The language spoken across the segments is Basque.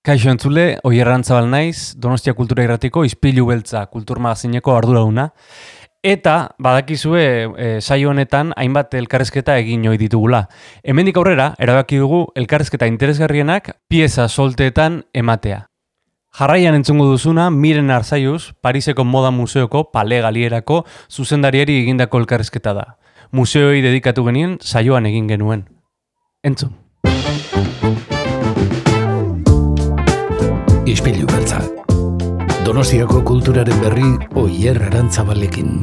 Kaixo entzule, Oier Arantzabal naiz, Donostia Kultura Irratiko Ispilu Beltza kulturmagazineko arduraduna. Eta badakizue saio honetan hainbat elkarrezketa egin ohi ditugula. Hemendik aurrera erabaki dugu elkarrezketa interesgarrienak pieza solteetan ematea. Jarraian entzungo duzuna Miren Arzaiuz, Pariseko Moda Museoko Palais Galierako zuzendariari egindako elkarrezketa da. Museoei dedikatu genien saioan egin genuen. Entzun. Ispilu Beltza. Donostiako kulturaren berri Oier Arantzabalekin.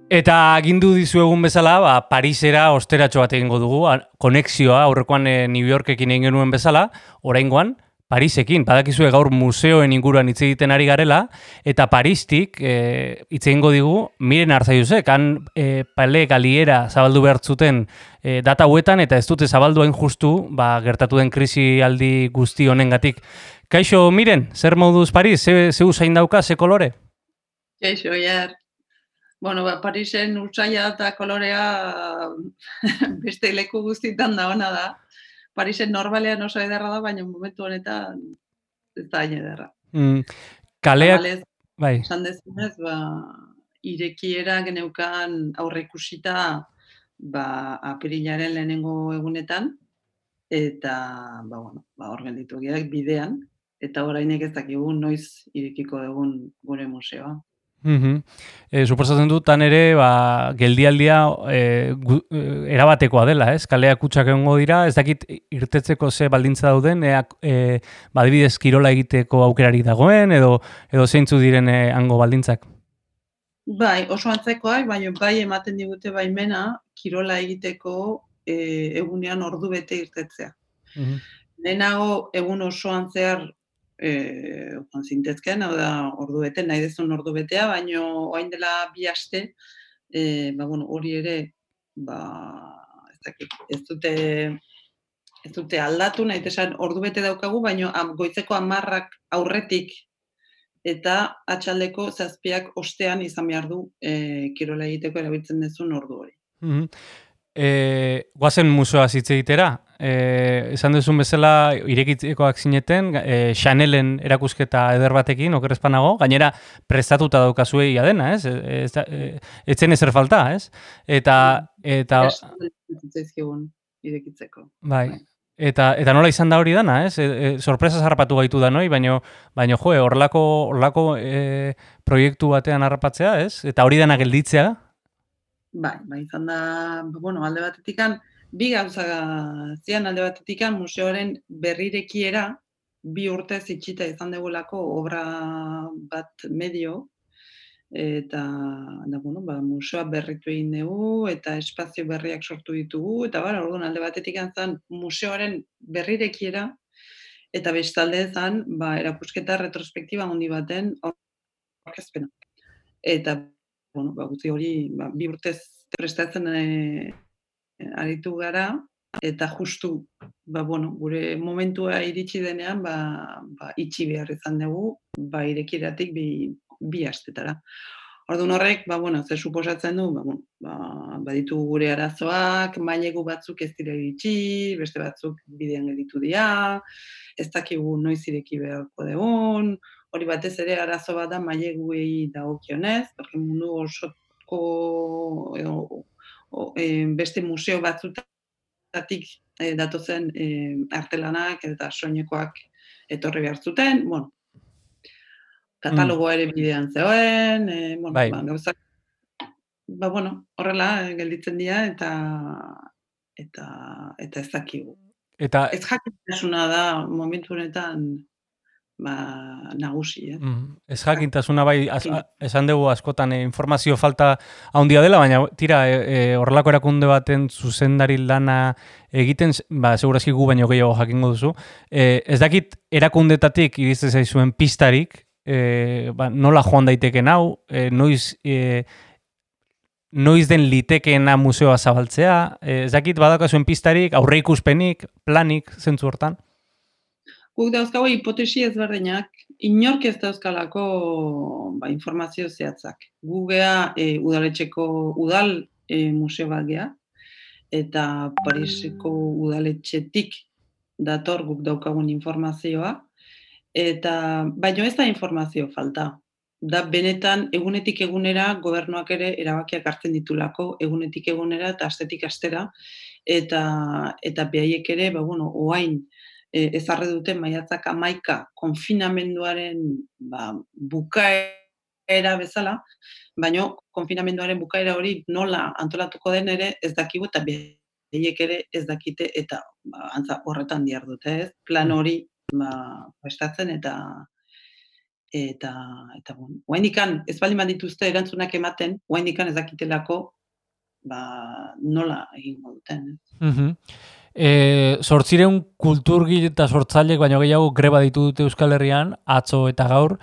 Eta agindu dizuegun bezala, Parisera osteratxo bat egingo dugu, konexioa aurrekoan New Yorkekin egin genuen bezala, oraingoan Parisekin. Badakizue gaur museoen inguruan hitz egiten ari garela, eta Paristik hitz egingo digu Miren Arzaiuzek, han Palais Galiera zabaldu behar zuten data hauetan, eta ez dute zabaldu hain justu, gertatu den krisialdi guzti honengatik. Kaixo, Miren, zer moduz Paris? Ze usain dauka, ze kolore? Kaixo, Oier. Bueno, Parisen urtsaila eta kolorea beste leku guztietan da ona da. Parisen normalean oso ederra da, baina momentu honetan ez da hain ederra. Kaleak, bai. Esan dezunez, irekiera geneukan aurreikusita apirilaren lehenengo egunetan, eta hor gelditu gehiak bidean, eta orainek ez dakigu noiz irekiko dugun gure museoa. Suposatzen dut, tan ere, geldialdia erabatekoa dela, ez? Kaleak kutsak egongo dira, ez dakit irtetzeko ze baldintza dauden, adibidez kirola egiteko aukerari dagoen, edo zeintzu diren hango baldintzak? Bai, oso antzekoak, baina bai ematen digute baimena kirola egiteko egunean ordu bete irtetzea. Lehenago egun osoan zehar zintezken, hau da ordu bete, nahi dezun ordu betea, baina orain dela 2 aste, hori ere, ez dute aldatu, nahi esan ordu bete daukagu, baina goizeko 10 aurretik eta atxaldeko 7 ostean izan behar du kirola egiteko erabiltzen dezun ordu hori. Goazen museoa hitz egitera. Esan duzun bezala irekitzekoak zineten, Chanelen erakusketa eder batekin, oker ez panago, gainera prestatuta daukazue ia dena, ez? Ez zen ezer falta, ez? Eta irekitzeko. Bai. Eta nola izan da hori dana, ez? Sorpresaz harrapatu gaitu da noi, baina horrelako proiektu batean harrapatzea, ez? Eta hori dana gelditzea? Bai, izan da, alde batetikan, 2 gauza zian alde batetikan museoaren berrirekiera 2 urtez itxita izan degulako obra bat medio, eta museoa berritu egin dugu, eta espazio berriak sortu ditugu, eta orduan alde batetikan zan museoaren berrirekiera, eta bestalde zan, erakusketa retrospektiba handi baten aurkezpena. Eta guzti hori 2 urtez prestatzen aritu gara, eta justu gure momentua iritsi denean itxi behar izan dugu, irekieratik 2 astetara. Orduan horrek, ze suposatzen du, baditu gure arazoak, mailegu batzuk ez dira iritsi, beste batzuk bidean gelditu dira, ez dakigu noiz ireki beharko dugun, hori batez ere arazo bat da maileguei dagokionez, porque mundu osoko beste museo batzutatik datozen artelanak eta soinekoak etorri behar zuten, katalogoa ere bidean zegoen, gauzak, horrela gelditzen dira eta ez dakigu. Ez jakintasuna da momentu honetan nagusi, Ez jakintasuna bai, esan dugu askotan informazio falta handia dela, baina tira, horrelako erakunde baten zuzendari lana egiten, segurazki gu baino gehiago jakingo duzu, ez dakit erakundetatik irizte zaizuen pistarik, nola joan daiteken hau, noiz den litekeena museoa zabaltzea, ez dakit badakazuen pistarik, aurreikuspenik, planik, zentzu hortan? Guk dauzkago hipotesi ezberdinak, inork ez dauzkalako informazio zehatzak. Gu gea udaletxeko udal museo bat gea, eta Pariseko udaletxetik dator guk daukagun informazioa, eta baino ez da informazio falta. Da benetan egunetik egunera gobernuak ere erabakiak hartzen ditulako, egunetik egunera eta astetik astera, eta behaiek ere, oain ezarri dute maiatzak 11 konfinamenduaren bukaera bezala, baino konfinamenduaren bukaera hori nola antolatuko den ere ez dakigu eta behaiek ere ez dakite eta antza horretan dihardute, ez? Plan hori prestatzen eta oraindikan ez baldin badituzte erantzunak ematen, oraindikan ez dakitelako nola egingo duten, ez? 800 kulturgile eta sortzaileek baino gehiago greba ditu dute Euskal Herrian, atzo eta gaur,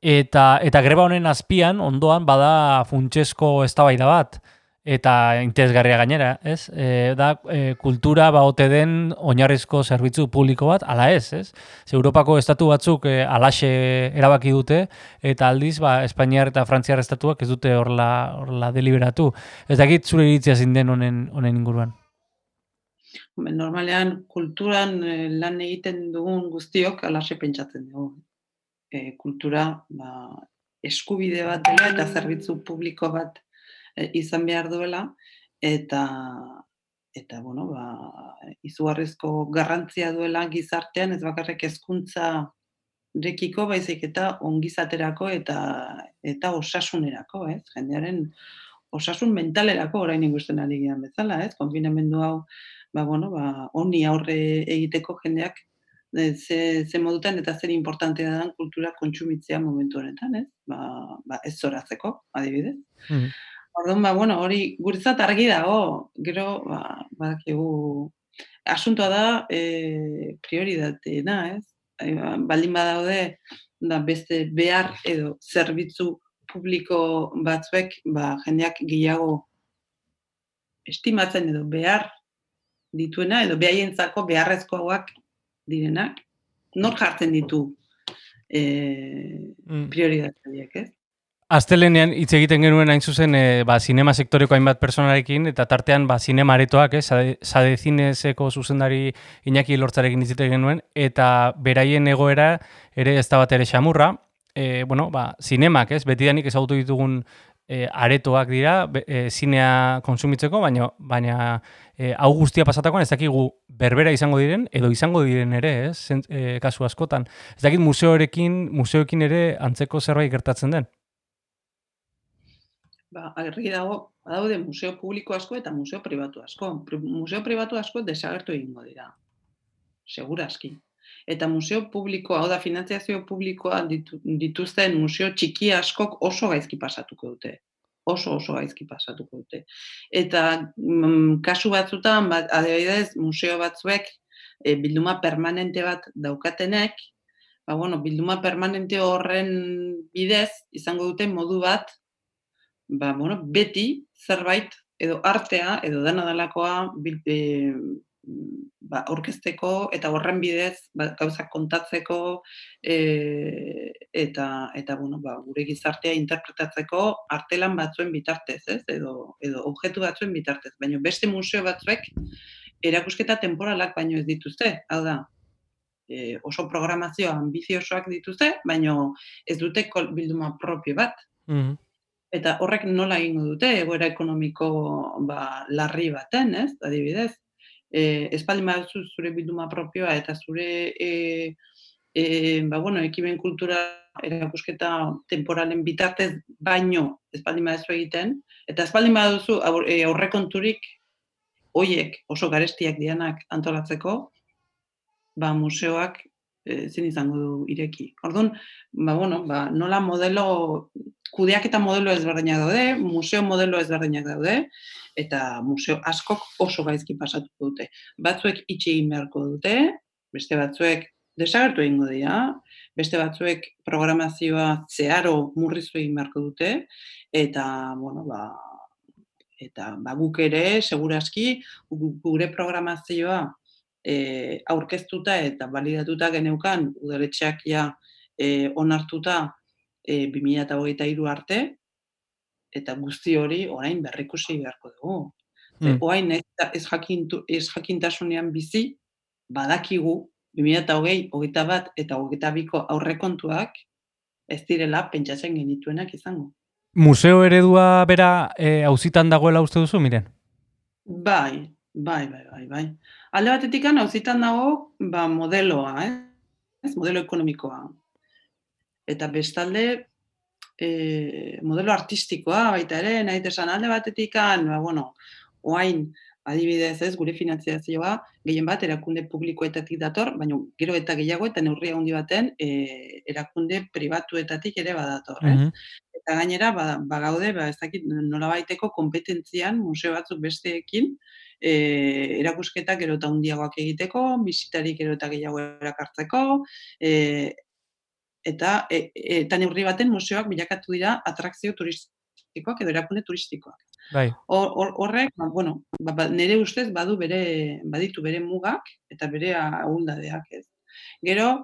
eta greba honen azpian, ondoan, bada funtsezko eztabaida bat, eta interesgarria gainera, ez? Kultura ote den oinarrizko zerbitzu publiko bat, ala ez? Ze Europako estatu batzuk alaxe erabaki dute, eta aldiz, Espainiar eta Frantziar estatuak ez dute horla deliberatu. Ez dakit zure iritzia zein den honen inguruan. Normalean, kulturan lan egiten dugun guztiok alaxe pentsatzen dugu. Kultura eskubide bat dela eta zerbitzu publiko bat izan behar duela, eta izugarrizko garrantzia duela gizartean, ez bakarrik hezkuntzarekiko, baizik eta ongizaterako eta osasunerako, ez? Jendearen osasun mentalerako orain ikusten ari gian bezala, ez? Konfinamendu hau, honi aurre egiteko jendeak ze modutan eta zer importantea da kultura kontsumitzea momentu honetan, ez? Ez zoratzeko, adibidez. Orduan, hori guretzat argi dago, gero, badakigu, asuntoa da prioridateena, ez? Baldin badaude, beste behar edo zerbitzu publiko batzuek, jendeak gehiago estimatzen edo behar dituena, edo behaientzako beharrezkoak direnak, nor jartzen ditu prioridateak, ez? Astelenean hitz egiten genuen hain zuzen zinema sektoreko hainbat personarekin eta tartean zinema aretoak, Sade Zineseko zuzendari Iñaki Lortzarekin hitz egiten genuen eta beraien egoera ere ez da bat ere xamurra. Zinemak, betidanik ezagutu ditugun aretoak dira zinea kontsumitzeko, baina hau guztia pasatakoan ez dakigu berbera izango diren edo izango diren ere, kasu askotan. Ez dakit museoekin ere antzeko zerbait gertatzen den. Argi dago, badaude museo publiko asko eta museo pribatu asko. Museo pribatu asko desagertu egingo dira, segurazki. Eta museo publikoa, hau da, finantziazio publikoa dituzten museo txiki askok oso gaizki pasatuko dute. Oso gaizki pasatuko dute. Eta kasu batzutan, adibidez, museo batzuek bilduma permanente bat daukatenek, bilduma permanente horren bidez izango dute modu bat beti zerbait edo artea edo dena delakoa aurkezteko eta horren bidez gauzak kontatzeko eta gure gizartea interpretatzeko artelan batzuen bitartez, ez? Edo objektu batzuen bitartez. Baina beste museo batzuek erakusketa temporalak baino ez dituzte. Hau da, oso programazio ambiziosoak dituzte, baina ez dute bilduma propio bat. Eta horrek nola egingo dute, egoera ekonomiko larri baten, ez, adibidez. Espaldin baduzu zure bilduma propioa eta zure ekimen kultura erakusketa temporalen bitartez baino espaldin baduzu egiten, eta espaldin baduzu aurrekonturik hoiek oso garestiak dianak antolatzeko, museoak zin izango du ireki. Orduan, nola modelo kudeaketa modelo ezberdinak daude, museo modelo ezberdinak daude, eta museo askok oso gaizki pasatuko dute. Batzuek itxi egin beharko dute, beste batzuek desagertu egingo dira, beste batzuek programazioa zeharo murriztu egin beharko dute, eta, guk ere, segurazki, gure programazioa aurkeztuta eta balidatuta geneukan, udaletxeak onartuta 2023 arte, eta guzti hori orain berrikusi beharko dugu. Oain ez jakintasunean bizi, badakigu, 2020, 21 eta 22ko aurrekontuak ez direla pentsatzen genituenak izango. Museo eredua bera auzitan dagoela uste duzu, Miren? Bai. Alde batetik auzitan dago modeloa, ez? Modelo ekonomikoa. Eta bestalde modelo artistikoa baita ere, nahi esan alde batetik, oain adibidez, ez, gure finanziazioa gehien bat erakunde publikoetatik dator, baina gero eta gehiago eta neurria handi baten erakunde pribatuetatik ere badator, ez? Eta gainera, bagaude, ez dakit nolabaiteko konpetentzian museo batzuk besteekin erakusketak gero eta handiagoak egiteko, bisitarik gero eta gehiago erakartzeko, eta neurri baten museoak bilakatu dira atrakzio turistikoak edo erakunde turistikoak. Bai. Horrek, nire ustez baditu bere mugak eta bere ahuldadeak, ez. Gero,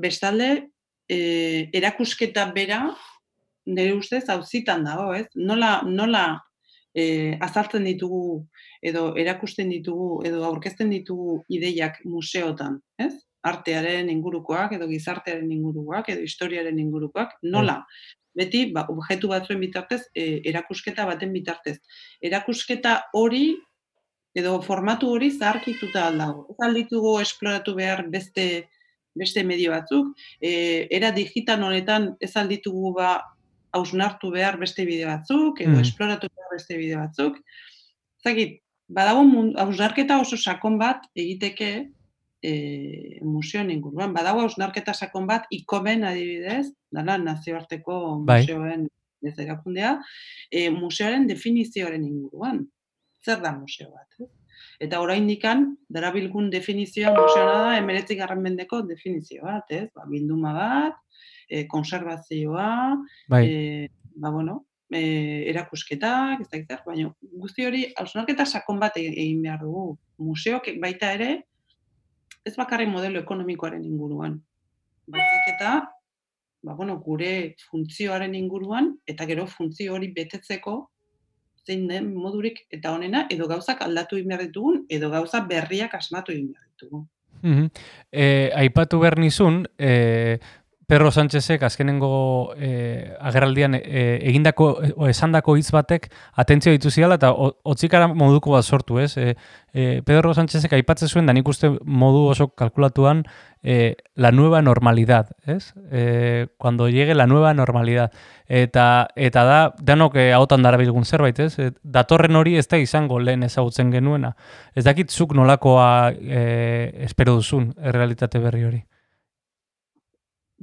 bestalde, erakusketa bera, nire ustez, auzitan dago, ez. Nola azaltzen ditugu, edo erakusten ditugu, edo aurkezten ditugu ideiak museotan, ez? Artearen ingurukoak, edo gizartearen ingurukoak, edo historiaren ingurukoak, nola? Beti, objektu batzuen bitartez, erakusketa baten bitartez. Erakusketa hori, edo formatu hori zaharkituta aldago. Ez alditugu esploratu behar beste medio batzuk, era digital honetan ez alditugu hausnartu behar beste bide batzuk, edo esploratu behar beste bide batzuk. Zagit, badago hausnarketa oso sakon bat egiteke museoen inguruan. Badago hausnarketa sakon bat ikomen adibidez, dela nazioarteko museoen ez erakundea, museoaren definizioaren inguruan. Zer da museo bat? Eta oraindikan darabilgun definizioa museoa da 19. mendeko definizio bat, ez? Bilduma bat, konserbazioa, erakusketak, ez da zer, baina guzti hori hausnarketa sakon bat egin behar dugu. Museok baita ere, ez bakarrik modelo ekonomikoaren inguruan. Baizik eta, gure funtzioaren inguruan, eta gero funtzio hori betetzeko zein den modurik eta honena, edo gauzak aldatu egin behar ditugun, edo gauza berriak asmatu egin behar ditugun. Aipatu behar nizun, Pedro Sánchezek azkenengo agerraldian egindako esandako hitz batek atentzio ditu ziala eta hotzikara moduko bat sortu, ez? Pedro Sánchezek aipatzen zuen, da nik uste modu oso kalkulatuan la nueva normalidad, ez? Cuando llegue la nueva normalidad. Eta da, danok hautan darabilgun zerbait, ez? Datorren hori ez da izango lehen ezagutzen genuena. Ez dakit zuk nolakoa espero duzun errealitate berri hori.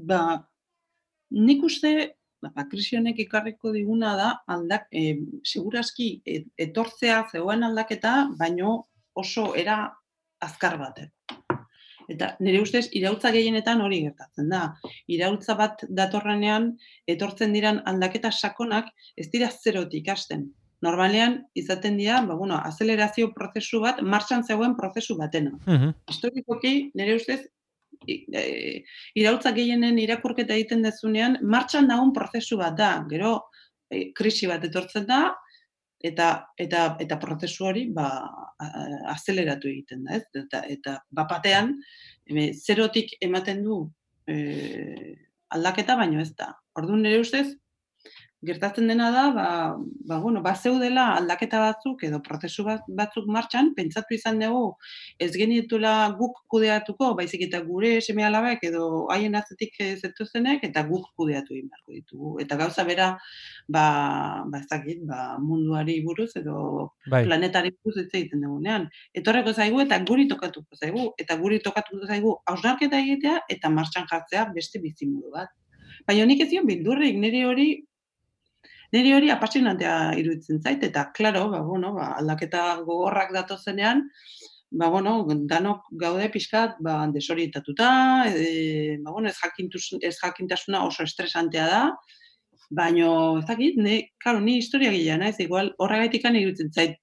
Nik uste, krisi honek ekarriko diguna da, segurazki etortzea zegoen aldaketa, baino oso era azkar baten. Eta nire ustez, iraultza gehienetan hori gertatzen da. Iraultza bat datorrenean, etortzen diran aldaketa sakonak, ez dira zerotik hasten. Normalean, izaten dira, azelerazio prozesu bat, martxan zegoen prozesu batena. Historikoki, nire ustez, iraultza gehienen irakurketa egiten dezunean, martxan dagoen prozesu bat da. Gero, krisi bat etortzen da, eta prozesu hori azeleratu egiten da, ez? Eta batean, zerotik ematen du aldaketa, baino ez da. Orduan nire ustez, gertatzen dena da, bazeudela aldaketa batzuk edo prozesu batzuk martxan, pentsatu izan dugu ez genitula guk kudeatuko, baizik eta gure seme-alabek edo haien atzetik zetozenek, eta guk kudeatu egin beharko ditugu. Eta gauza bera, ez dakit, munduari buruz edo planetari buruz hitz egiten dugunean. Etorreko zaigu eta guri tokatuko zaigu, eta guri tokatuko zaigu hausnarketa egitea eta martxan jartzea beste bizimodu bat. Baina nik ez zion bildurrik, niri hori apasionantea iruditzen zait, eta, klaro, aldaketa gogorrak datozenean, danok gaude pixkat desorientatuta, ez jakintasuna oso estresantea da, baina, ez dakit, ni historiagilea naiz, igual horregaitik iruditzen zait,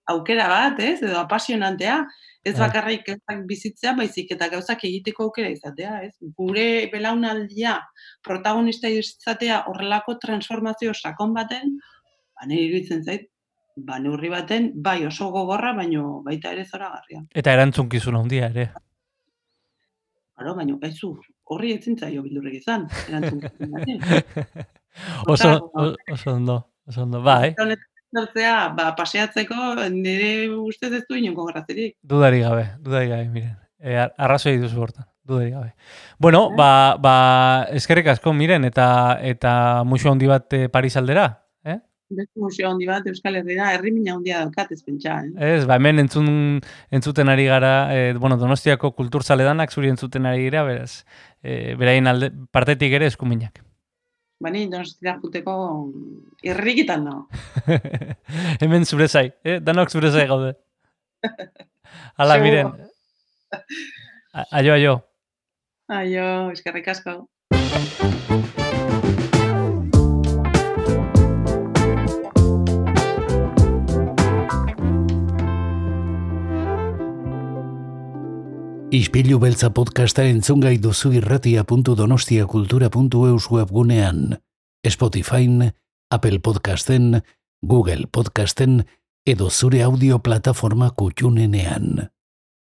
aukera bat, ez, edo apasionantea, ez bakarrik bizitzea, baizik eta gauzak egiteko aukera izatea, ez? Gure belaunaldia protagonista izatea horrelako transformazio sakon baten, nire iruditzen zait, neurri baten, bai oso gogorra, baino baita ere zoragarria. Eta erantzunkizun handia ere. Claro, baino gaizu, horri ezin zaio bildurrik izan, erantzun bati. Oso ondo, bai. Zartzea, paseatzeko nire ustez ez du inongo grazirik. Dudari gabe, miren. Arrazoi duzu hortan, dudari gabe. Bueno, eskerrik asko, miren, eta museo handi bat Paris aldera, Beste museo handi bat Euskal Herria, herrimina handia daukat ez pentsa, Ez, hemen entzuten ari gara, Donostiako kulturzaledanak zuri entzuten ari gira, beraz, beraien partetik ere eskuminak. Bani, Donostira juteko irrikitan no. Hemen zure zai, danok zure zai gaude. Hala, miren. Aio. Aio, eskerrik asko. Ispilu beltza podcasta entzungai duzu irratia.donostiakultura.eus webgunean, Spotifyn, Apple Podcasten, Google Podcasten edo zure audio plataforma kutxunenean.